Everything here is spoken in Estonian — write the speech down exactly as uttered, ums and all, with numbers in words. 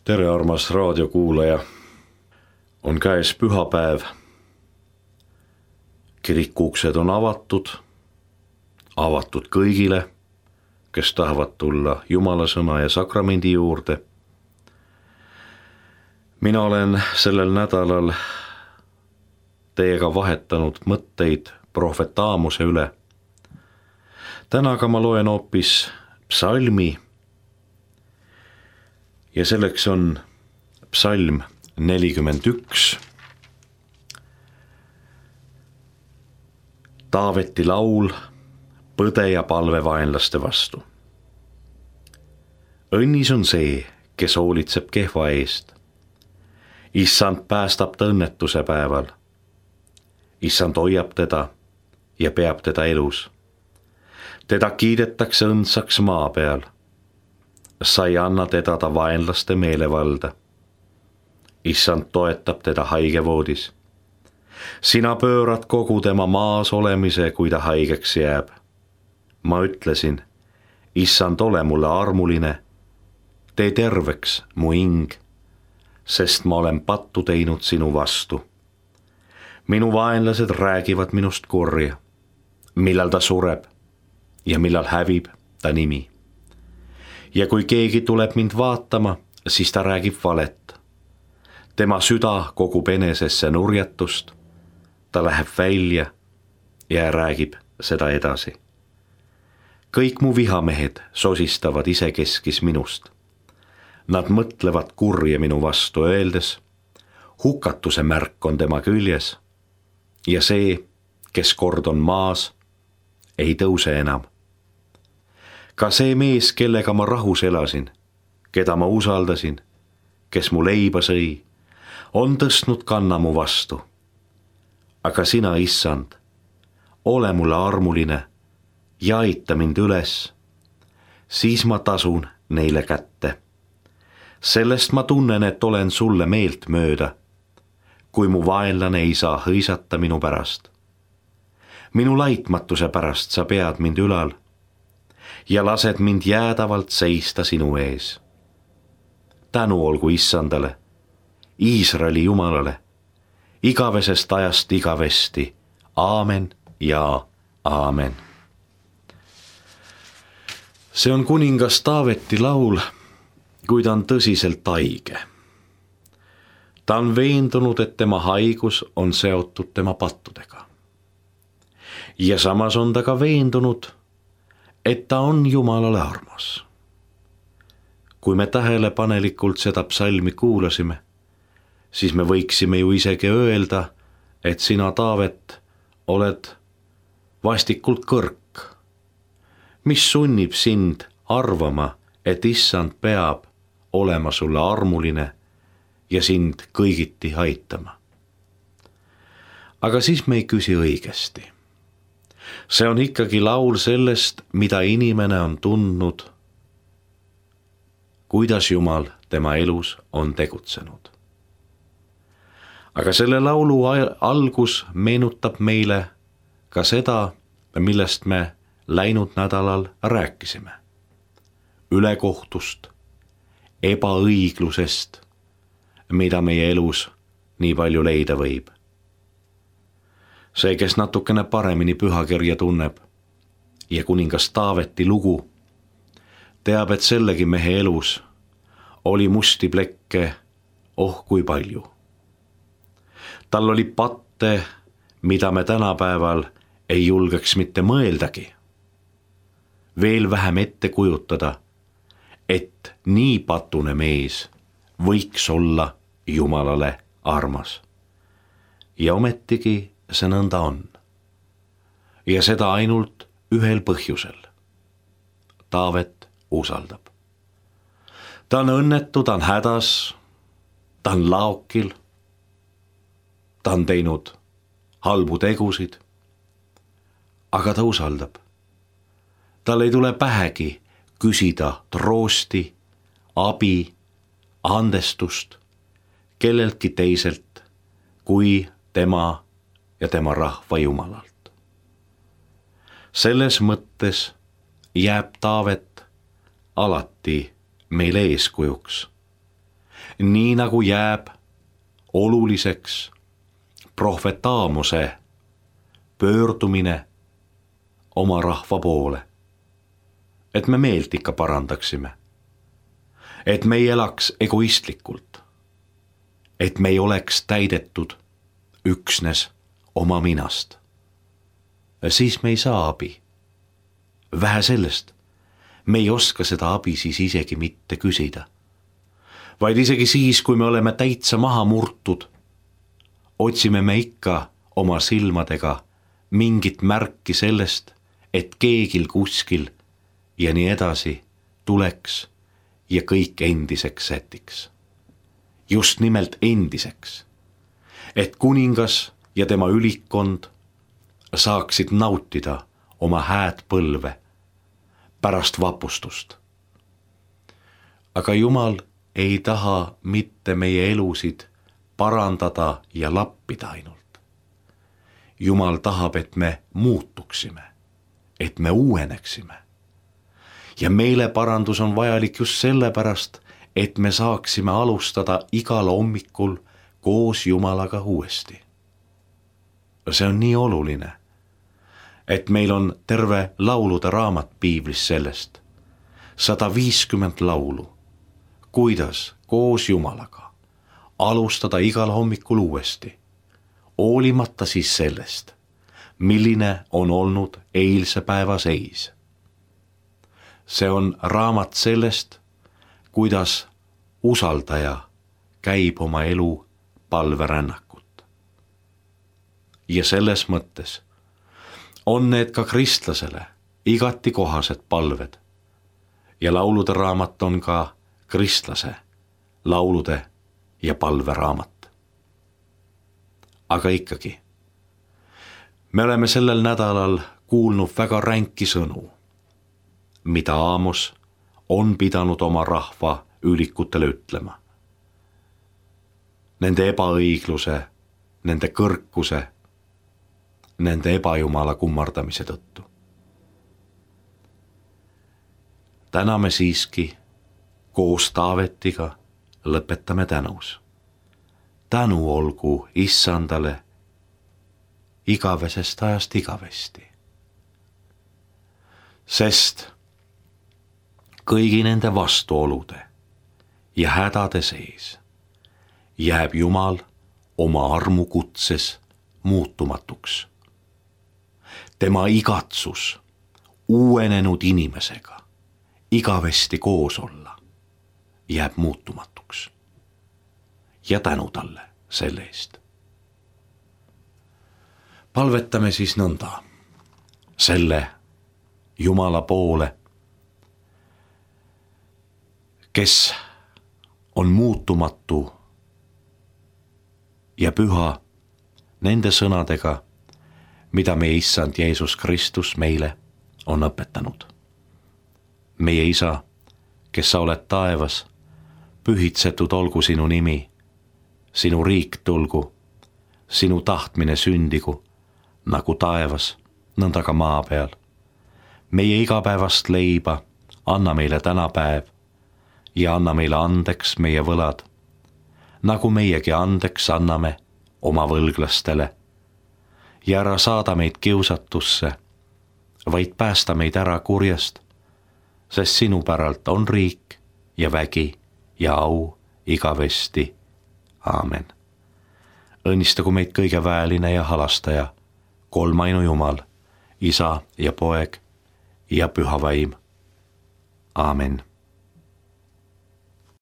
Tere, armas raadiokuulaja. On käes pühapäev. Kirikuuksed on avatud. Avatud kõigile, kes tahavad tulla Jumala sõna ja sakramendi juurde. Mina olen sellel nädalal teiega vahetanud mõtteid prohvet Aamose üle. Täna aga ma loen hoopis psalmi. Ja selleks on psalm nelikümmend üks. Taaveti laul põde ja palve vaenlaste vastu. Õnnis on see, kes hoolitseb kehva eest. Issand päästab ta õnnetuse päeval. Issand hoiab teda ja peab teda elus. Teda kiidetakse õndsaks maa peal. Sa ei anna teda ta vaenlaste meelevalda. Issand toetab teda haigevoodis. Sina pöörad kogu tema maas olemise, kui ta haigeks jääb. Ma ütlesin, Issand, ole mulle armuline, tee terveks mu hing, sest ma olen pattu teinud sinu vastu. Minu vaenlased räägivad minust kurja, millal ta sureb ja millal hävib ta nimi. Ja kui keegi tuleb mind vaatama, siis ta räägib valet. Tema süda kogub enesesse nurjatust, ta läheb välja ja räägib seda edasi. Kõik mu vihamehed sosistavad isekeskis minust. Nad mõtlevad kurja minu vastu öeldes, hukatuse märk on tema küljes ja see, kes kord on maas, ei tõuse enam. Ka see mees, kellega ma rahus elasin, keda ma usaldasin, kes mu leiba sõi, on tõstnud kanna mu vastu. Aga sina, Issand, ole mulle armuline ja aita mind üles, siis ma tasun neile kätte. Sellest ma tunnen, et olen sulle meelt mööda, kui mu vaenlane ei saa hõisata minu pärast. Minu laitmatuse pärast sa pead mind ülal ja lased mind jäädavalt seista sinu ees. Tänu olgu Issandale, Iisraeli Jumalale, igavesest ajast igavesti. Aamen ja aamen. See on kuningas Taaveti laul, kui ta on tõsiselt haige. Ta on veendunud, et tema haigus on seotud tema pattudega. Ja samas on ta ka veendunud, et ta on Jumalale armas. Kui me tähelepanelikult seda psalmi kuulasime, siis me võiksime ju isegi öelda, et sina, Taavet, oled vastikult kõrk. Mis sunnib sind arvama, et Issand peab olema sulle armuline ja sind kõigiti aitama? Aga siis me ei küsi õigesti. See on ikkagi laul sellest, mida inimene on tundnud, kuidas Jumal tema elus on tegutsenud. Aga selle laulu algus meenutab meile ka seda, millest me läinud nädalal rääkisime. Ülekohtust, ebaõiglusest, mida meie elus nii palju leida võib. See, kes natukene paremini pühakirja tunneb ja kuningas Taaveti lugu, teab, et sellegi mehe elus oli musti plekke oh kui palju. Tal oli patte, mida me tänapäeval ei julgeks mitte mõeldagi. Veel vähem ette kujutada, et nii patune mees võiks olla Jumalale armas. Ja ometigi see nõnda on. Ja seda ainult ühel põhjusel. Taavet usaldab. Ta on õnnetu, ta on hädas, ta on laokil, ta on teinud halbu tegusid, aga ta usaldab. Tal ei tule pähegi küsida troosti, abi, andestust kelleltki teiselt kui tema ja tema rahva Jumalalt. Selles mõttes jääb Taavet alati meile eeskujuks. nii nagu jääb oluliseks prohvetaamuse pöördumine oma rahva poole, et me meelt ikka parandaksime, et me ei elaks egoistlikult, et me ei oleks täidetud üksnes oma minast. Siis me ei saa abi. Vähe sellest, me ei oska seda abi siis isegi mitte küsida, vaid isegi siis, kui me oleme täitsa maha murtud, otsime me ikka oma silmadega mingit märki sellest, et keegil kuskil ja nii edasi tuleks ja kõik endiseks sätiks. Just nimelt endiseks, et kuningas ja tema ülikond saaksid nautida oma hääd põlve pärast vapustust. Aga Jumal ei taha mitte meie elusid parandada ja lappida ainult. Jumal tahab, et me muutuksime, et me uueneksime. Ja meile parandus on vajalik just sellepärast, et me saaksime alustada igal hommikul koos Jumalaga uuesti. See on nii oluline, et meil on terve laulude raamat piiblis sellest, sada viiskümmend laulu, kuidas koos Jumalaga alustada igal hommikul uuesti, hoolimata siis sellest, milline on olnud eilse päeva seis. See on raamat sellest, kuidas usaldaja käib oma elu palverännakut. Ja selles mõttes on need ka kristlasele igati kohased palved ja laulude raamat on ka kristlase laulude ja palveraamat. Aga ikkagi, me oleme sellel nädalal kuulnud väga ränki sõnu, mida Aamos on pidanud oma rahva ülikutele ütlema. Nende ebaõigluse, nende kõrkuse, nende ebajumala kummardamise tõttu. Täna me siiski koos Taavetiga lõpetame tänus. Tänu olgu Issandale igavesest ajast igavesti. Sest kõigi nende vastuolude ja hädade sees jääb Jumal oma armukutses muutumatuks. Tema igatsus uuenenud inimesega igavesti koos olla jääb muutumatuks. Ja tänu talle selle eest. Palvetame siis nõnda selle Jumala poole, kes on muutumatu ja püha nende sõnadega, mida meie Issand Jeesus Kristus meile on õpetanud. Meie Isa, kes sa oled taevas, pühitsetud olgu sinu nimi, sinu riik tulgu, sinu tahtmine sündigu, nagu taevas, nõnda ka maa peal. Meie igapäevast leiba anna meile täna päev ja anna meile andeks meie võlad, nagu meiegi andeks anname oma võlglastele. Ja ära saada meid kiusatusse, vaid päästa meid ära kurjast, sest sinu päralt on riik ja vägi ja au igavesti. Aamen. Õnnistagu meid kõige väeline ja halastaja, kolmainu Jumal, Isa ja Poeg ja Püha Vaim. Aamen.